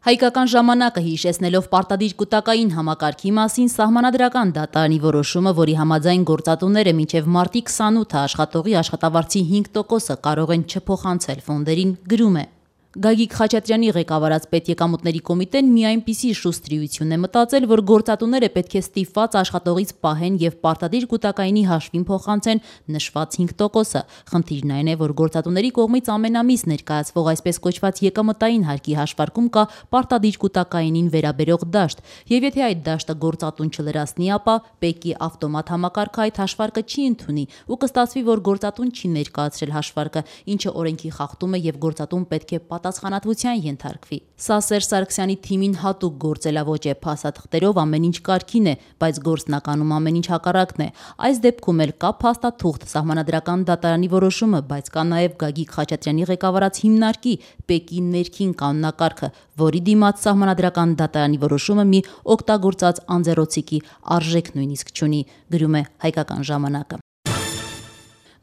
Հայկական ժամանակը հիշեցնելով պարտադիր կուտակային համակարգի մասին սահմանադրական դատարանի որոշումը, որի համաձայն գործատուները մինչև մարտի 28-ը աշխատողի աշխատավարձի 5%-ը կարող են չփոխանցել ֆոնդերին, գրում է. Գագիկ Խաչատրյանի ղեկավարած պետեկամուտների կոմիտեն մի այնպիսի շուստրիություն է մտածել, որ գործատուները պետք է ստիպված աշխատողից պահեն եւ պարտադիր կուտակայինի հաշվին փոխանցեն նշված 5%-ը։ Խնդիրն այն է, որ գործատուների կողմից ամենամիս ներկայացվող այսպես կոչված եկամտային հարկի հաշվարկում կա պարտադիր կուտակայինին վերաբերող դաշտ, եւ եթե այդ դաշտը գործատուն չլրացնի, ապա ՊԵԿ-ի ավտոմատ համակարգը այդ հաշվարկը չի ընդունի ու կստացվի, որ գործատուն չի ներկայացրել հաշվարկը, ինչը օրենքի խախտում է եւ գործատուն պետք է պատասխանատվության ենթարկվի։ Սա Սերժ Սարգսյանի թիմին հատուկ գործելավոճ է, փաստաթղթերով ամեն ինչ կարգին է, բայց գործնականում ամեն ինչ հակառակն է։ Այս դեպքում էլ կա փաստաթուղթ, սահմանադրական դատարանի որոշումը, բայց կա նաև Գագիկ Խաչատրյանի ղեկավարած հիմնարկի ՊԵԿ-ի ներքին կանոնակարգը, որի դիմաց սահմանադրական դատարանի որոշումը մի օգտագործած անձեռոցիկի արժեք նույնիսկ չունի, գրում է Հայկական ժամանակը։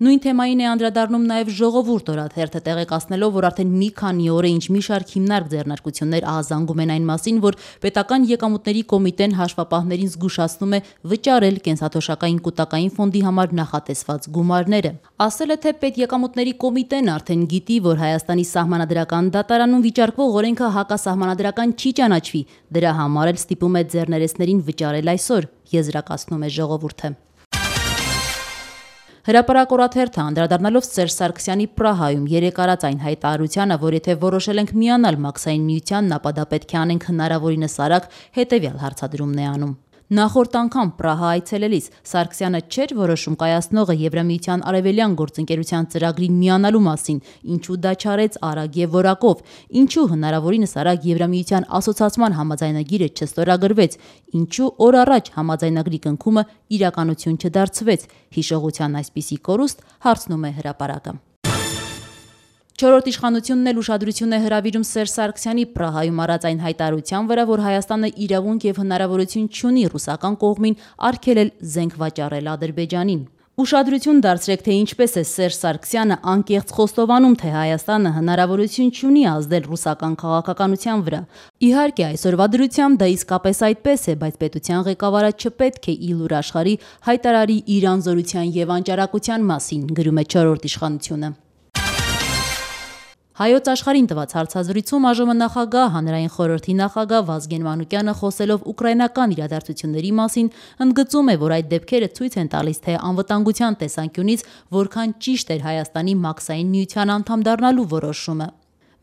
Նույն թեմային է անդրադառնում նաև Ժողովուրդ օրաթերթը, տեղեկացնելով, որ արդեն մի քանի օր է ինչ մի շարք հիմնարկ ձեռնարկություններ ահազանգում են այն մասին, որ պետական եկամուտների կոմիտեն հաշվապահներին զգուշացնում է վճարել կենսաթոշակային կուտակային ֆոնդի համար նախատեսված գումարները։ Ասել է, թե պետեկամուտների կոմիտեն արդեն գիտի, որ Հայաստանի սահմանադրական դատարանում վիճարկվող օրենքը հակասահմանադրական չի ճանաչվի, դրա համար էլ ստիպում է ձեռներեցներին վճարել այսօր, եզրակացնում է Ժողովուրդը։ Հրապարակ օրաթերթը անդրադառնալով Սերժ Սարգսյանի Պրահայում երեկ արած այն հայտարարությանը, որ եթե որոշել ենք միանալ Մաքսային միությանն, ապա դա պետք է անենք հնարավորինս արագ, հետևյալ հարցադրումն է անում։ Նախորդ անգամ Պրահա այցելելիս Սարգսյանը չէր որոշում կայացնողը Եվրամիության արևելյան գործընկերության ծրագրին միանալու մասին, ինչու դա չարեց արագ եւ որակով, ինչու հնարավորինս արագ Եվրամիության ասոցիացման համաձայնագիրը չստորագրվեց, ինչու օր առաջ համաձայնագրի կնքումը իրականություն չդարձվեց։ Հիշողության այսպիսի կորուստ հարցնում է հրապարակը։ Չորրորդ իշխանությունն էլ ուշադրություն է հրավիրում Սերժ Սարգսյանի Պրահայում արած այն հայտարարության վրա, որ Հայաստանը իրավունք եւ հնարավորություն չունի ռուսական կողմին արգելել զենք վաճառել Ադրբեջանին։ Ուշադրություն դարձրեք, թե ինչպես է Սերժ Սարգսյանը անկեղծ խոստովանում, թե Հայաստանը հնարավորություն չունի ազդել ռուսական քաղաքականության վրա։ Իհարկե, այսօրվա դրությամբ դա իսկապես այդպես է, բայց պետության ղեկավարը չպետք է իլուր աշխարհի հայտարարի իր անզորության եւ անճարակության մասին, գրում է չորրորդ իշխանությունը։ Հայոց աշխարհին տված հարցազրույցում ԱԺՄ նախագահ, հանրային խորհրդի նախագահ Վազգեն Մանուկյանը խոսելով ուկրաինական իրադարձությունների մասին ընդգծում է, որ այդ դեպքերը ցույց են տալիս, թե անվտանգության տեսանկյունից որքան ճիշտ էր Հայաստանի Մաքսային միության անդամ դառնալու որոշումը։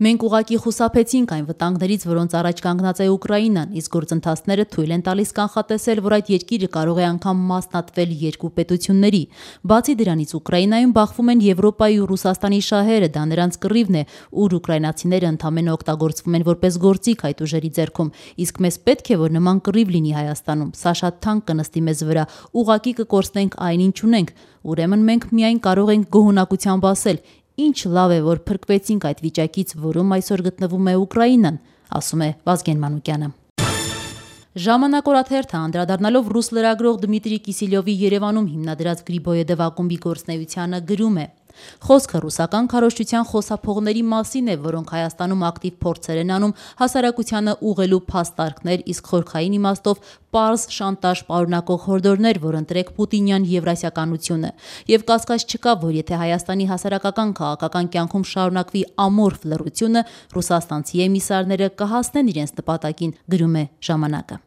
Մենք ուղղակի խուսափեցինք այն վտանգներից, որոնց առաջ կանգնած է Ուկրաինան, իսկ գործընթացները թույլ են տալիս կանխատեսել, որ այդ երկիրը կարող է անգամ մասնատվել երկու պետությունների։ Բացի դրանից, Ուկրաինայում բախվում են Եվրոպայի ու Ռուսաստանի շահերը, դա նրանց կռիվն է, ուր ուկրաինացիները ընդամենը օգտագործվում են որպես գործիք այդ ուժերի ձեռքում, իսկ մեզ պետք է, որ նման կռիվ լինի Հայաստանում, սա շատ թանկ կնստի մեզ վրա, ուղղակի կկորցնենք այն, ինչ ունենք, ուրեմն մենք միայն կարող ենք գոհունակությամբ ասել. Ինչ լավ է, որ փրկվեցինք այդ վիճակից, որում այսօր գտնվում է Ուկրաինան, ասում է Վազգեն Մանուկյանը։ Ժամանակ օրաթերթը անդրադառնալով ռուս լրագրող Դմիտրի Կիսիլյովի Երևանում հիմնադրած Գրիբոյեդև ակումբի գործունեությանը գրում է. Խոսքը ռուսական քարոզչության խոսափողների մասին է, որոնք Հայաստանում ակտիվ փորձեր են անում հասարակությանը ուղղելու փաստարկներ, իսկ խորքային իմաստով պարզ շանտաժ պարունակող հորդորներ, որ ընտրեք պուտինյան եվրասիականությունը։ Եվ կասկած չկա, որ եթե Հայաստանի հասարակական քաղաքական կյանքում շարունակվի ամորֆ լռությունը, ռուսաստանցի էմիսարները կհասնեն իրենց նպատակին, գրում է ժամանակը։